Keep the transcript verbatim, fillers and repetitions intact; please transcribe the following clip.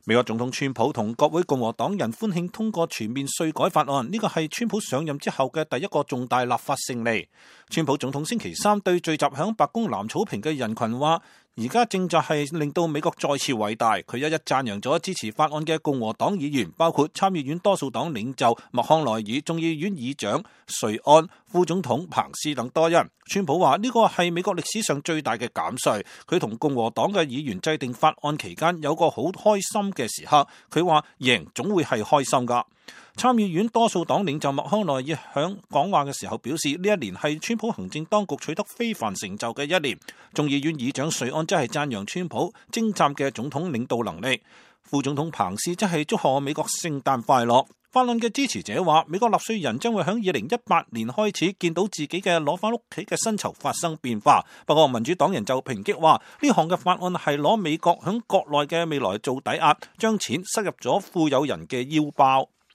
美國總統川普同國會共和黨人歡慶通過全面稅改法案，呢個係川普上任之後嘅第一個重大立法勝利。川普總統星期三對聚集響白宮藍草坪嘅人群話：而家正在係令到美國再次偉大。佢一一讚揚咗支持法案嘅共和黨議員，包括參議院多數黨領袖麥康奈爾、眾議院議長瑞安、副總統彭斯等多人。川普話呢個係美國歷史上最大嘅減稅。佢同共和黨嘅議員制定法案期間有個好開心嘅時刻。佢話贏總會係開心噶。參議院多數黨領袖麥康奈爾響講話嘅時候表示，呢一年係川普行政當局取得非凡成就嘅一年。眾議院議長瑞安則係讚揚川普精湛嘅總統領導能力。副總統彭斯則係祝賀美國聖誕快樂。法案嘅支持者話，美國納稅人將會喺二零一八年開始見到自己嘅攞翻屋企嘅薪酬發生變化。不過民主黨人就抨擊話，呢項嘅法案係攞美國喺國內嘅未來做抵押，將錢塞入咗富有人嘅腰包。